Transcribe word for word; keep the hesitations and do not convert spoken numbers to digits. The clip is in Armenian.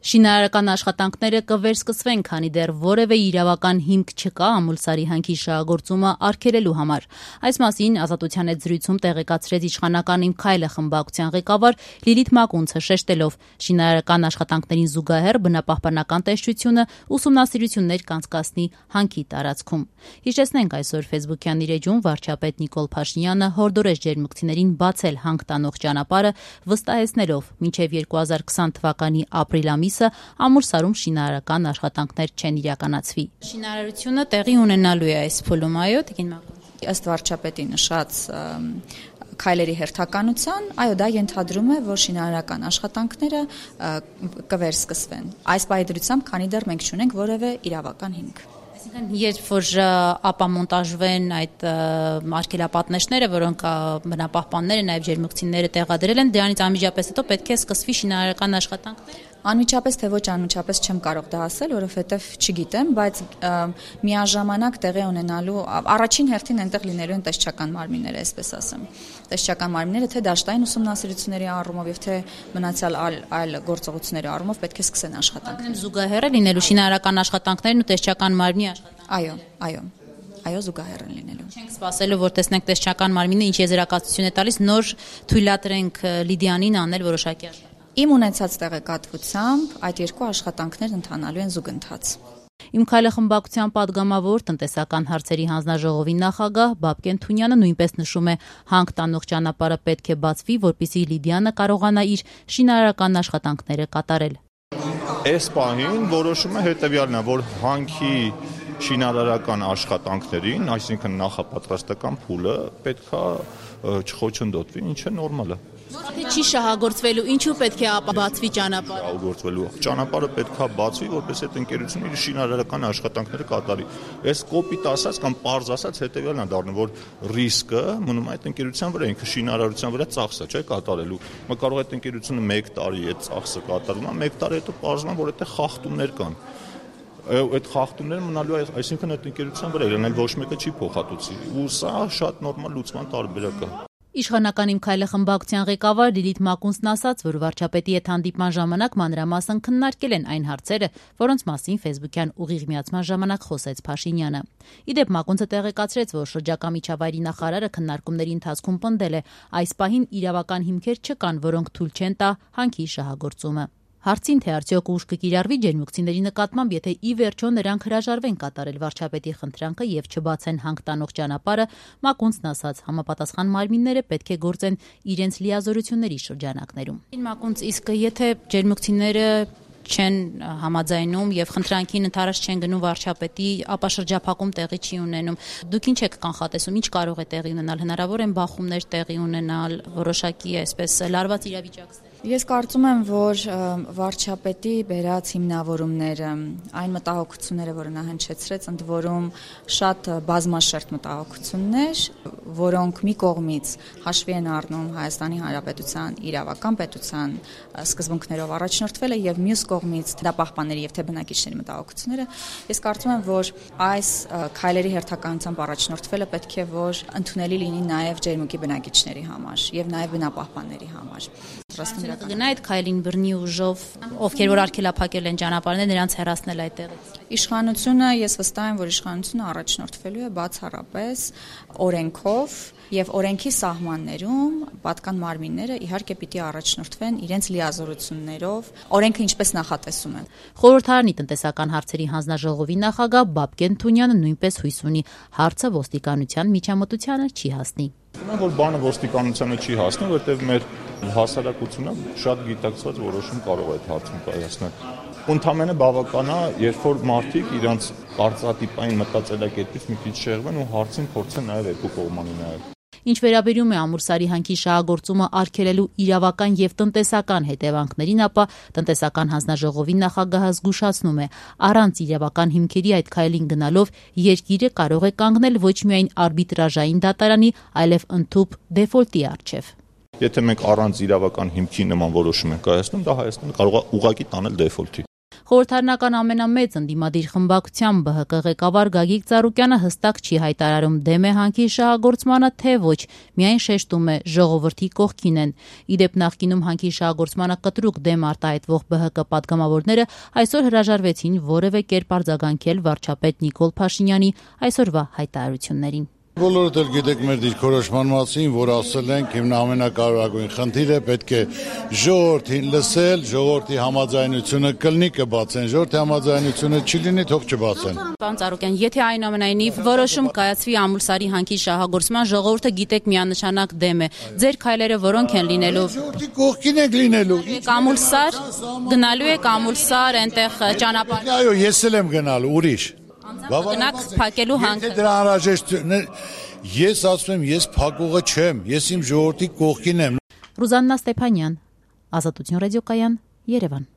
Շինարարական աշխատանքները կվերսկսվեն, քանի դեռ որևէ իրավական հիմք չկա Ամուլսարի հանքի շահագործումը արգելելու համար։ Այս մասին Ազատության հետ զրույցում տեղեկացրեց իշխանական «Իմ քայլը» խմբակցության ղեկավար Լիլիթ Մակունցը, շեշտելով, շինարարական աշխատանքներին զուգահեռ բնապահպանական տեսչությունը ուսումնասիրություններ կանցկացնի հանքի տարածքում։ Հիշեցնենք, այսօր ֆեյսբուքյան իր էջում վարչապետ Նիկոլ Փաշինյանը հորդորեց ջերմուկցիներին բացել հանք տանող ճանապարհը, վստահեցնելով, մինչև երկու հազար քսան թվականի ապրիլ ամիսը Ամուլսարում շինարարական աշխատանքներ չեն իրականացվի։ Շինարարությունը տեղի ունենալու է այս փուլում, այո, Տիկին Մակունց։ Ըստ վարչապետի նշած քայլերի հերթականության, այո, դա ենթադրում է, որ շինարարական աշխատանքները կվերսկսվեն։ Այս պայմանությամբ, քանի դեռ մենք չունենք որևէ իրավական հիմք։ Այսինքն, երբ որ ապամոնտաժվեն այդ արգելապատնեշները, որոնք բնապահպանները, նաև ջերմուկցիները տեղադրել են, դրանից անմիջապես հետո պետք է սկսվի շինարարական աշխատանքները։ Անմիջապես թե ոչ անմիջապես չեմ կարող դա ասել, որովհետև չգիտեմ, բայց միաժամանակ տեղի ունենալու առաջին հերթին այնտեղ լինելու են տեսչական մարմինները, այսպես ասեմ։ Տեսչական մարմինները թե դաշտային ուսումնասիրությունների առումով եւ թե մնացյալ այլ այլ գործողությունների առումով պետք է սկսեն աշխատանքները։ Զուգահեռ է լինելու շինարարական աշխատանքներն ու տեսչական մարմնի աշխատանքները։ Այո, այո։ Այո, զուգահեռ են լինելու։ Չենք սպասելու, որ տեսնենք տեսչական մարմինը ինչ եզրակացություն է տալիս, նոր թույլատրենք Լիդիանին անել որոշակի աշխատանք։ Իմ ունեցած տեղեկատվությամբ այդ երկու աշխատանքներն ընթանալու են զուգընթաց։ «Իմ քայլը» խմբակցության պատգամավոր տնտեսական հարցերի հանձնաժողովի նախագահ Բաբկեն Թունյանը նույնպես նշում է, հանք տանող ճանապարհը պետք է բացվի, որպեսզի Լիդիանը կարողանա իր շինարարական աշխատանքները կատարել։ Այս պահին որոշումը հետևյալն է, որ հանքի շինարարական աշխատանքներին, այսինքն նախապատրաստական փուլը պետքա չխոչընդոտվի, ինչը նորմալ է։ Եթե չի շահագործվելու, ինչու պետք է ապա բացվի ճանապարհը։ Շահագործվելու ճանապարհը պետքա բացվի, որպես այդ ընկերությունը իր շինարարական աշխատանքները կատարի։ Այս կոպիտ ասած կամ պարզ ասած հետևյալն է դառնում, որ ռիսկը մնում է այդ ընկերության վրա, ինքը շինարարության վրա ծախսը չէ կատարելու։ Մա կարող է այդ ընկերությունը մեկ տարի այդ ծախսը կատարում է, մեկ տարի հետո պարզվում է, որ այդտեղ խախտումներ կան։ Այդ խախտումները մնալու է, այսինքն այդ ընկերության վրա իրեն ոչ մեկը չի փոխհատուցի։ Ու սա շատ նորմալ լուծման տարբերակ է։ Իշխանական «Իմ քայլը» խմբակցության ղեկավար Լիլիթ Մակունցն ասաց, որ վարչապետի հետ հանդիպման ժամանակ մանրամասն քննարկել են այն հարցերը, որոնց մասին ֆեյսբուքյան ուղիղ միացման ժամանակ խոսեց Փաշինյանը։ Ի դեպ, Մակունցը տեղեկացրեց, որ շրջակա միջավայրի նախարարը քննարկումների ընթացքում պնդել է, այս պահին իրավական հիմքեր չկան, որոնք թույլ չեն տա հանքի շահագործումը։ Հարցին, թե արդյոք ուժ կկիրառվի ջերմուկցիների նկատմամբ, եթե ի վերջո նրանք հրաժարվեն կատարել վարչապետի խնդրանքը եւ չբացեն հանք տանող ճանապարհը, Մակունցն ասաց, համապատասխան մարմինները պետք է գործեն իրենց լիազորությունների շրջանակներում։ Մակունց, իսկ եթե ջերմուկցիները չեն համաձայնում եւ խնդրանքին ընդառաջ չեն գնում վարչապետի, ապա շրջափակում տեղի չի ունենում։ Դուք ինչ եք կանխատեսում, ինչ կարող է տեղի ունենալ, հնարավոր են բախումներ տեղի ունենալ, որոշակի այսպես լարված իրավիճակներ։ Ես կարծում եմ, որ վարչապետի բերած հիմնավորումները, այն մտահոգությունները, որը նա հնչեցրեց, ընդ որում շատ բազմաշերտ մտահոգություններ, որոնք մի կողմից հաշվի են առնում Հայաստանի Հանրապետության իրավական պետության սկզբունքներով առաջնորդվելը եւ մյուս կողմից դա պահպանների եւ թե բնակիչների մտահոգությունները, ես կարծում եմ, որ այս քայլերի հերթականությամբ առաջնորդվելը պետք է որ ընդունելի լինի նաեւ ջերմուկի բնակիչների համար եւ նաեւ բնապահպանների համար։ Կգնա այդ քայլին բռնի ուժով, ովքեր որ արգելափակել են ճանապարհները, նրանց հեռացնել այդտեղից։ Իշխանությունը, ես վստահ եմ, որ իշխանությունը առաջնորդվելու է բացառապես օրենքով եւ օրենքի սահմաններում պատկան մարմինները իհարկե պիտի առաջնորդվեն իրենց լիազորություններով, օրենքը ինչպես նախատեսում է։ Խորհրդարանի տնտեսական հարցերի հանձնաժողովի նախագահ Բաբկեն Թունյանը նույնպես հույս ունի, հարցը ոստիկանության միջամտությանը չի հասնի։ Որ բանը ոստիկանությանը չի հասնի, որովհետեւ մեր հասարակությունը շատ գիտակցված որոշում կարող է այդ հարցում կայացնել։ Ընդհանրապես բավական է, երբ որ մարդիկ իրենց կարծրատիպային մտածելակերպից մի քիչ շեղվեն ու հարցին փորձեն նաև երկու կողմանի նայել։ Ինչ վերաբերում է Ամուլսարի հանքի շահագործումը արգելելու իրավական եւ տնտեսական հետևանքներին, ապա տնտեսական հանձնաժողովի նախագահը զգուշացնում է, առանց իրավական հիմքերի այդ քայլին գնալով երկիրը կարող է կանգնել ոչ միայն արբիտրաժային դատարանի, այլև ընդհանուր դեֆոլտի առջև։ Եթե մենք առանց իրավական հիմքի նման որոշում ենք կայացնում, դա Հայաստանը կարող է ուղղակի տանել դեֆոլտի։ Խորհրդարանական ամենամեծ ընդդիմադիր խմբակցության Բ Հ Կ ղեկավար Գագիկ Ծառուկյանը հստակ չի հայտարարում դեմ է հանքի շահագործմանը, թե ոչ, միայն շեշտում է ժողովրդի կողքին են։ Իդեպ նախկինում հանքի շահագործմանը կտրուկ դեմ արտահայտվող Բ Հ Կ պատգամավորները այսօր հրաժարվեցին որևէ կերպ արձագանքել վարչապետ Նիկոլ Փաշինյանի այսօրվա հայտարարություններին։ Բոլորդ էլ գիտեք մեր դիրքորոշման մասին, որ ասել ենք հիմն ամենակարևորագույն խնդիրը պետք է ժողովրդին լսել, ժողովրդի համաձայնությունը կլինի կբացեն, ժողովրդի համաձայնությունը չի լինի, թող չբացեն։ Պարոն Ծառուկյան, եթե այնուամենայնիվ որոշում կայացվի Ամուլսարի հանքի շահագործման, ժողովուրդը գիտեք միանշանակ դեմ է։ Ձեր քայլերը որոնք են լինելու։ Ժողովրդի կողքին եք լինելու։ Ամուլսար գնալու եք Ամուլսար, այնտեղ ճանապարհ։ Այո, ես էլ եմ գնալու, ուրիշ։ Գնաք փակելու հանքը։ Դրա անհրաժեշտ ես ասում եմ, ես փակողը չեմ, ես իմ ժողովրդի կողքին եմ։ Ռուզաննա Ստեփանյան, Ազատություն ռադիոկայան, Երևան։